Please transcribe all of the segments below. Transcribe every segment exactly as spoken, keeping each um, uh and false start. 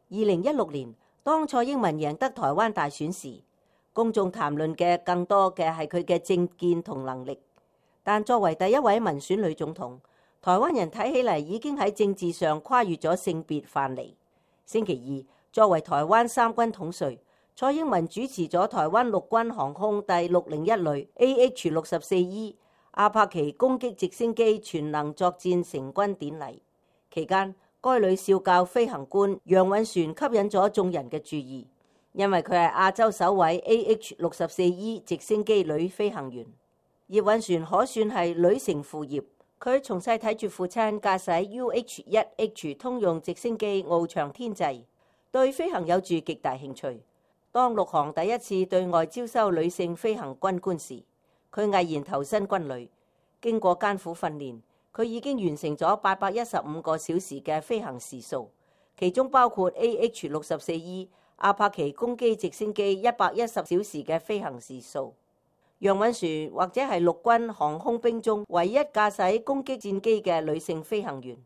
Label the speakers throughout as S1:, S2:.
S1: 二零一六年，當蔡英文贏得台灣大選時，公眾談論嘅更多嘅係佢嘅政見同能力。但作為第一位民選女總統，台灣人睇起嚟已經喺政治上跨越咗性別藩籬。星期二，作為台灣三軍統帥，蔡英文主持咗台灣陸軍航空第六零一旅 A H 六十四 E 阿帕奇攻擊直升機全能作戰成軍典禮。期間，該旅少校飛行官楊允璇吸引咗眾人嘅注意，因為佢係亞洲首位 A H 六十四 E 直升機女飛行員。葉允璇可算係女承父業，佢從細睇住父親駕駛 U H 一 H 通用直升機翱翔天際，對飛行有住極大興趣。當陸航第一次對外招收女性飛行軍官時，佢毅然投身軍旅。經過艱苦訓練，佢已經完成咗八百一十五個小時嘅飛行時數，其中包括 A H 六十四 E 阿帕奇攻擊直升機一百一十小時嘅飛行時數。楊允璇或者係陸軍航空兵中唯一駕駛攻擊戰機嘅女性飛行員，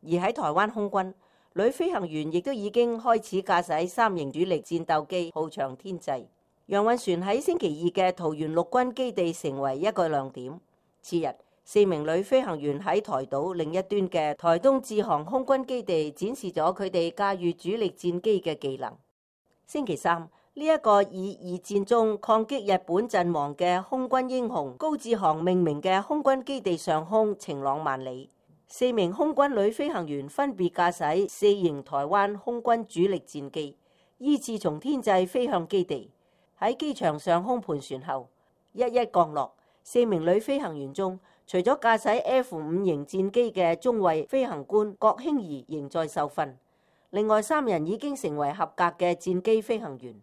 S1: 而喺台灣空軍，女飛行員亦都已經開始駕駛三型主力戰鬥機翱翔天際。楊允璇喺星期二嘅桃園陸軍基地成為一個亮點。次日，四名女飛行員喺台島另一端嘅台東志航空軍基地展示咗佢哋駕馭主力戰機嘅技能。星期三，呢一個以二戰中抗擊日本陣亡嘅空軍英雄高志航命名嘅空軍基地上空晴朗萬里，四名空軍女飛行員分別駕駛四型台灣空軍主力戰機，依次從天際飛向基地。喺機場上空盤旋後，一一降落。四名女飛行員中，除咗駕駛 F 五型戰機嘅中尉飛行官郭興儀仍在受訓，另外三人已經成為合格嘅戰機飛行員。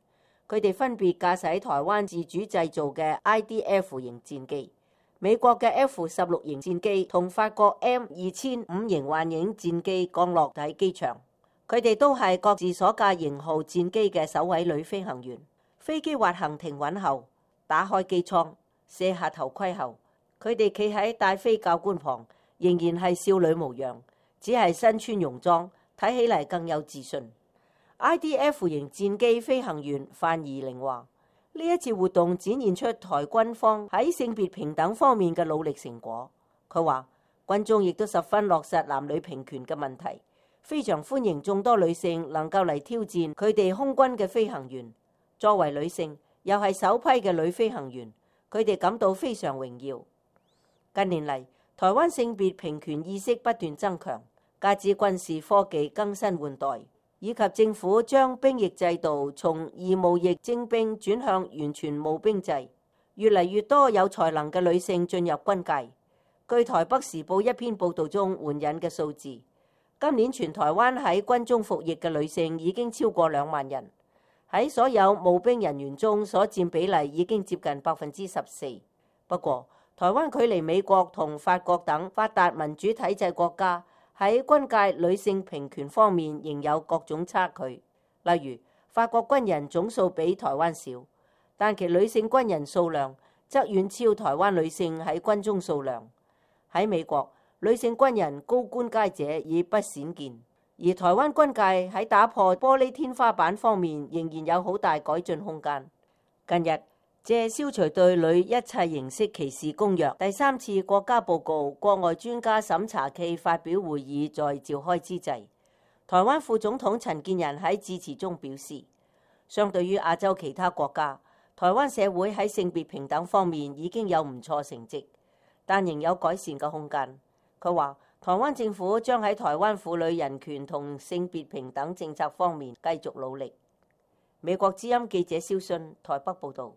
S1: 佢哋分別駕駛台灣自主製造嘅 I D F 型戰機、美國嘅 F 十六型戰機同法國 M 二千五型幻影戰機降落喺機場。佢哋都係各自所駕型號戰機嘅首位女飛行員。飛機滑行停穩後，打開機艙，卸下頭盔後，佢哋企喺帶飛教官旁，仍然係少女模樣，只係身穿戎裝，睇起嚟更有自信。I D F 型戰機飛行員范怡玲話：呢一次活動展現出台軍方喺性別平等方面嘅努力成果。佢話軍中亦都十分落實男女平權嘅問題，非常歡迎眾多女性能夠嚟挑戰佢哋空軍嘅飛行員。作為女性，又係首批嘅女飛行員，佢哋感到非常榮耀。近年嚟，台灣性別平權意識不斷增強，加之軍事科技更新換代，以及政府將兵役制度從義務役徵兵轉向完全募兵制，越嚟越多有才能嘅女性進入軍界。據台北時報一篇報道中援引嘅數字，今年全台灣喺軍中服役嘅女性已經超過兩萬人。喺所有募兵人員中所佔比例已經接近百分之十四。不過，台灣距離美國同法國等發達民主體制國家喺軍界女性平權方面仍有各種差距。例如，法國軍人總數比台灣少，但其女性軍人數量則遠超台灣女性喺軍中數量。喺美國，女性軍人高官階者已不鮮見。而台灣軍界喺打破玻璃天花板方面仍然有好大改進空間。近日，借消除對女一切形式歧視公約第三次國家報告國外專家審查暨發表會議在召開之際，台灣副總統陳建仁喺致辭中表示，相對於亞洲其他國家，台灣社會喺性別平等方面已經有唔錯成績，但仍有改善嘅空間。佢話，台灣政府將喺台灣婦女人權同性別平等政策方面繼續努力。美國之音記者蕭信台北報導。